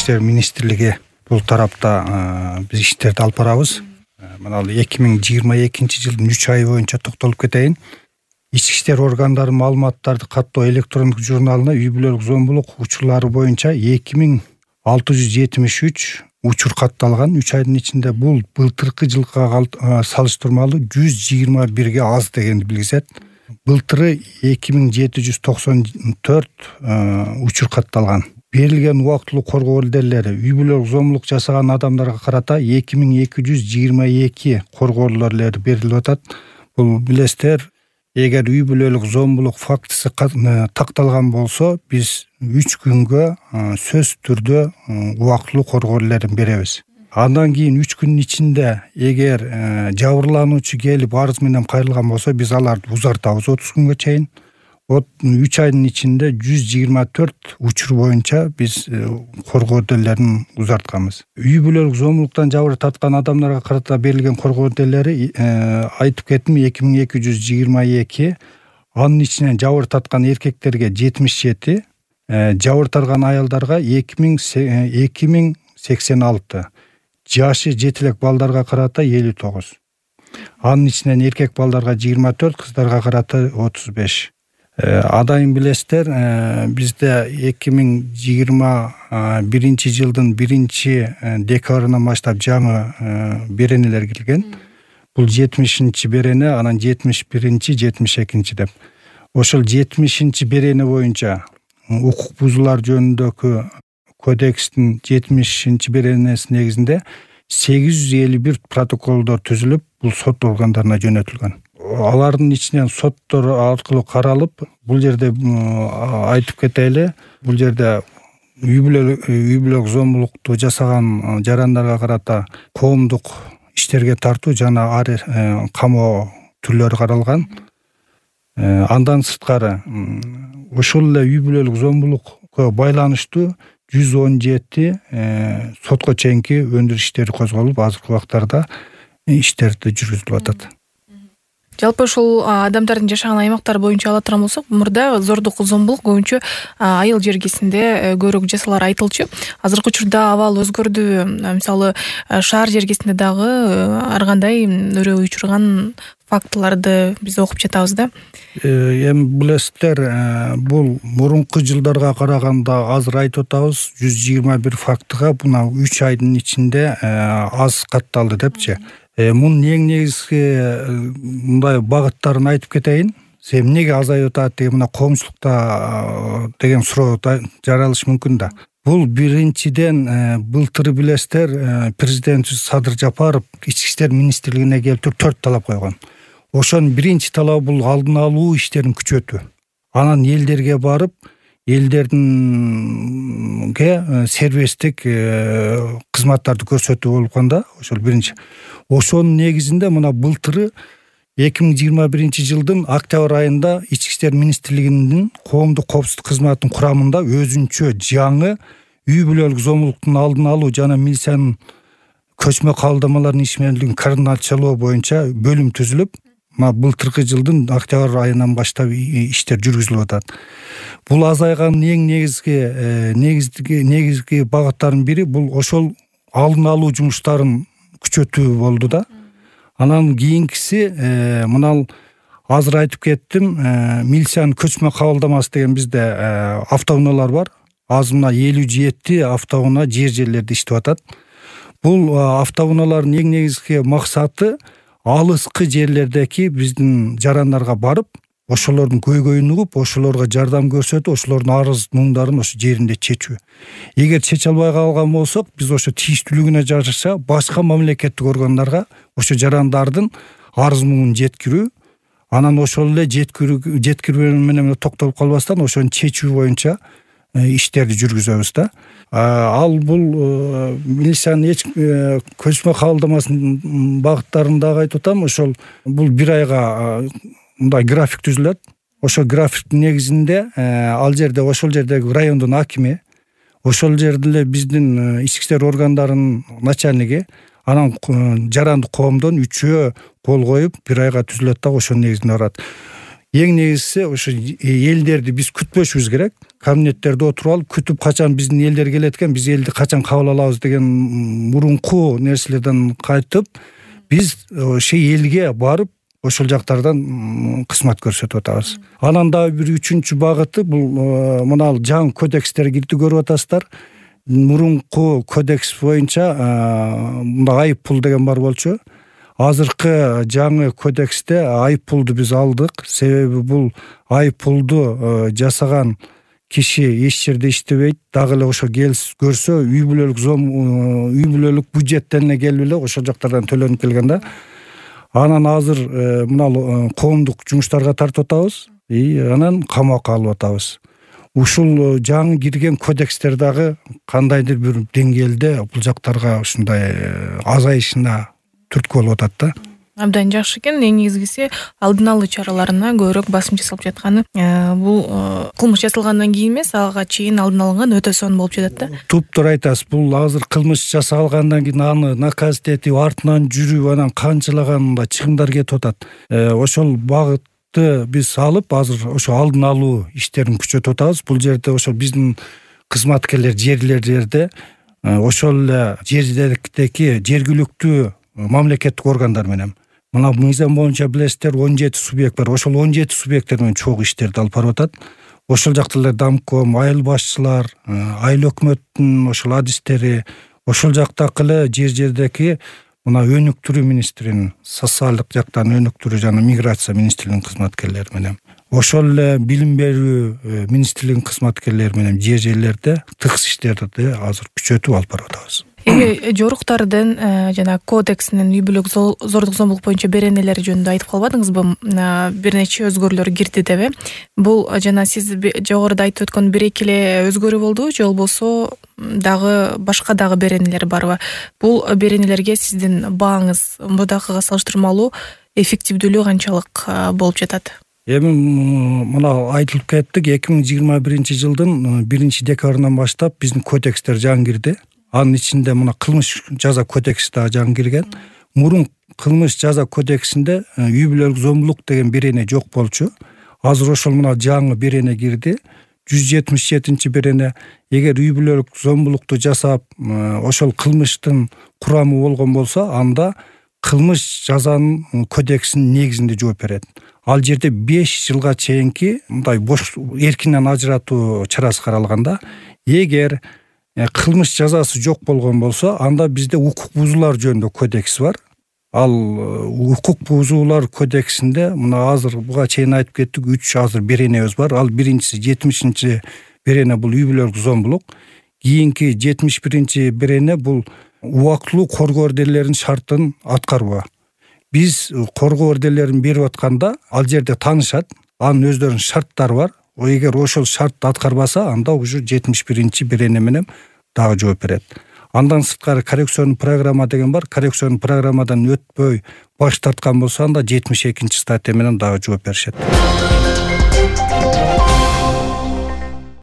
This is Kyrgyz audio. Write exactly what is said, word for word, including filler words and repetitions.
иштер министрлиги бул тарапта биз иштерди алып барабыз. Мына эки миң жыйырма экинчи жылдын үч ай боюнча токтолуп кетейин. Ички иштер органдарынын маалыматтарды каттоо электрондук журналына үй бүлөлүк зомбулук учурлары боюнча эки миң алты жүз жетимиш үч учур катталган. үч айдын ичинде бул былтыркы жылга салыштырмалуу жүз жыйырма бирге аз дегенди билгизет. Былтыры эки миң жети жүз токсон төрт учур катталган. Берилген убактылуу коргоо ордерлери үй бүлөлүк зомбулук жасаган адамдарга карата эки миң эки жүз жыйырма эки коргоо ордерлери берилип атат. Бул билесиздер, эгер үй бүлөлүк зомбулук фактысы такталган болсо, биз үч күнгө сөз түрдө убактылуу коргоо ордерлерин беребиз. Андан кийин үч күндүн ичинде эгер жабырлануучу келип арыз менен кайрылган болсо, биз аларды узартабыз отуз күнгө чейин. үч айдын ичинде жүз жыйырма төрт учур боюнча биз коргоо ордерлерин узартканбыз. Үй бүлөлүк зомбулуктан жабыр тарткан адамдарга карата берилген коргоо ордерлери айтып кеттим эки миң эки жүз жыйырма эки, анын ичинен жабыр тарткан эркектерге жетимиш жети, жабыр тарткан аялдарга эки миң сексен алты, жашы жети элек балдарга карата элүү тогуз. Анын ичинен эркек балдарга жыйырма төрт, кыздарга карата отуз беш. Адайын билесиздер, бизде эки миң жыйырма биринчи жылдын биринчи декабрынан баштап жаңы беренелер кирген. Бул жетимишинчи берене, анан жетимиш биринчи, жетимиш экинчи деп. Ошол жетимишинчи берене боюнча укук бузуулар жөнүндөгү кодекстин жетимишинчи беренесинин негизинде сегиз жүз элүү бир протоколдор түзүлүп, бул сот органдарына жөнөтүлгөн. Алардын ичинен соттор аркылуу каралып, бул жерде айтып кетели, бул жерде үй бүлөлүк зомбулукту жасаган жарандарга карата коомдук иштерге тартуу жана камоо түрлөрү каралган. Андан сырткары ошол эле үй бүлөлүк зомбулукка байланыштуу жүз он жети сотко чейинки өндүрүш иштери козголуп, азыркы убактарда иштерди жүргүзүлүп атат. Жалпы ушул адамдардын жашаган аймактары боюнча ала турган болсок, мурда зордук, зомбулук көбүнчө айыл жергесинде көбүрөөк жасалар айтылчу. Азыркы учурда абал өзгөрдү. Мисалы, шаар жергесинде дагы ар кандай өрөө учурган фактыларды биз окуп жатабыз да. Эми билесиздер, бул мурунку жылдарга караганда азыр айтып атабыз, жүз жыйырма бир фактыга мына үч айдын ичинде аз катталды депчи. Мунун эң негизги мындай багыттарын айтып кетейин. Себеби эмнеге азайып атат деген мына коомчулукта деген суроо жаралышы мүмкүн да. Бул биринчиден былтыр билесиздер, президент Садыр Жапаров ички иштер министрлигине келип төрт талап койгон. Ошонун биринчи талабы бул алдын алуу иштерин күчөтүү. Анан элдерге барып, элдердинге сервистик кызматтарды көрсөтүү болгон да, ошол биринчи. Ошонун негизинде мына былтыры эки миң жыйырма биринчи жылдын октябрь айында ички иштер министрлигинин коомдук коопсуздук кызматынын курамында өзүнчө жаңы үй бүлөлүк зомбулуктун алдын алуу жана милициянын көчмө кабылдамаларын ишмердигин координациялоо боюнча бөлүм түзүлүп, мына былтыркы жылдын октябрь айынан баштап иштер жүргүзүлүп атат. Бул азайганын эң негизги негизги негизги багыттарынын бири бул ошол алдын алуу жумуштарын күчөтүү болду да. Анан кийинкиси мына азыр айтып кеттим, милициянын көчмө кабылдамасы деген бизде автоунаалар бар. Азыр мына элүү жети автоунаа жер жерлерде иштеп атат. Бул автоунаалардын эң негизги максаты алыскы жерлердеги биздин жарандарга барып, ошолордун көйгөйүн угуп, ошолорго жардам көрсөтүп, ошолордун арыз муңдарын ошо жеринде чечүү. Эгер чече албай калган болсок, биз ошо тийиштүүлүгүнө жараша башка мамлекеттик органдарга ошо жарандардын арыз муңун жеткирүү, анан ошол эле жеткирүү жеткирүү менен токтолуп калбастан ошону чечүү боюнча иштерди жүргүзөбүз да. Ал бул милициянын эч көчмө кабылдамасынын багыттарын дагы айтып атам. Ошол бул бир айга мындай график түзүлөт. Ошол графиктин негизинде ал жерде ошол жердеги райондун акими, ошол жерде эле биздин ички иштер органдарынын начальниги, анан жарандык коомдон үчөө кол коюп бир айга түзүлөт да, ошонун негизинде барат. эң негизгиси ошо элдерди биз күтпөшүбүз керек. Кабинеттерде отуруп алып күтүп качан биздин элдер келет экен, биз элди качан кабыл алабыз деген мурунку нерселерден кайтып, биз ошо элге барып ошол жактардан кызмат көрсөтүп атабыз. Анан дагы бир үчүнчү багыты бул мына жаңы кодекстер кирди, көрүп атасыздар. Мурунку кодекс боюнча мында айып пул деген бар болчу. Азыркы жаңы кодексте айып пулду биз алдык. Себеби бул айып пулду жасаган киши эч жерде иштебейт, дагы эле ошо келип көрсө үй бүлөлүк зом үй бүлөлүк бюджеттен эле келип эле ошол жактардан төлөнүп келген да. Анан азыр мына коомдук жумуштарга тартып атабыз, и анан камакка алып атабыз. Ушул жаңы кирген кодекстер дагы кандайдыр бир деңгээлде бул жактарга ушундай азайышына түрткү болуп атат да. Абдан жакшы экен. Эң негизгиси алдын алуу чараларына көбүрөөк басым жасалып жатканы. Бул кылмыш жасалгандан кийин эмес, ага чейин алдын алынган өтө сонун болуп жатат да. Туптуура айтасыз. Бул азыр кылмыш жасалгандан кийин аны наказать этип, артынан жүрүп, анан канчалаган мындай чыгымдар кетип атат. Ошол багытты биз алып, азыр ошо алдын алуу иштерин күчөтүп атабыз. Бул жерде ошо биздин кызматкерлер жерлерде ошол эле жердеги жергиликтүү мамлекеттик органдар менен, мына мыйзам боюнча билесиздер, он жети субъект бар. Ошол он жети субъекттер менен чогуу иштерди алып барып атат. Ошол жакта эле Дамком, айыл башчылар, айыл өкмөттүн ошол адистери, ошол жактагы эле жер жердеги мына өнүктүрүү министринин, социалдык жактан өнүктүрүү жана миграция министрлигинин кызматкерлери менен, ошол эле билим берүү министрлигинин кызматкерлери менен жер жерлерде тыгыз иштерди азыр күчөтүп алып барып атабыз. Эми жоруктардын жана кодексинин үй бүлөлүк зордук зомбулук боюнча беренелери жөнүндө айтып калбадыңызбы? Бир нече өзгөрүүлөр кирди деп. Бул жана сиз жогоруда айтып өткөн бир эки эле өзгөрүү болдубу, же болбосо дагы башка дагы беренелер барбы? Бул беренелерге сиздин бааңыз мурдакыга салыштырмалуу эффективдүүлүгү канчалык болуп жатат? Эми мына айтылып кеттик, эки миң жыйырма биринчи жылдын биринчи декабрынан баштап биздин кодекстер жаңы кирди. Анын ичинде мына кылмыш жаза кодекси да жаңы кирген. Мурун кылмыш жаза кодексинде үй бүлөлүк зомбулук деген берене жок болчу. Азыр ошол мына жаңы берене кирди. жүз жетимиш жетинчи берене. Эгер үй бүлөлүк зомбулукту жасап, ошол кылмыштын курамы болгон болсо, анда кылмыш жазанын кодексинин негизинде жооп берет. Ал жерде беш жылга чейинки мындай бош эркинен ажыратуу чарасы каралганда, эгер кылмыш жазасы жок болгон болсо, анда бизде укук бузуулар жөнүндө кодекс бар. Ал укук бузуулар кодексинде мына азыр буга чейин айтып кеттик, үч азыр беренебиз бар. Ал биринчиси жетимишинчи берене бул үй бүлөлүк зомбулук. Кийинки жетимиш биринчи берене бул убактылуу коргоо эрделеринин шартын аткарбоо. Биз коргоо эрделерин берип атканда ал жерде таанышат, анын өздөрүнүн шарттары бар. Эгер ошол шартты аткарбаса, анда уже жетимиш биринчи берене менен дагы жооп берет. Андан сырткары коррекционный программа деген бар. Коррекционный программадан өтпөй баш тарткан болсо, анда жетимиш экинчи статья менен дагы жооп беришет.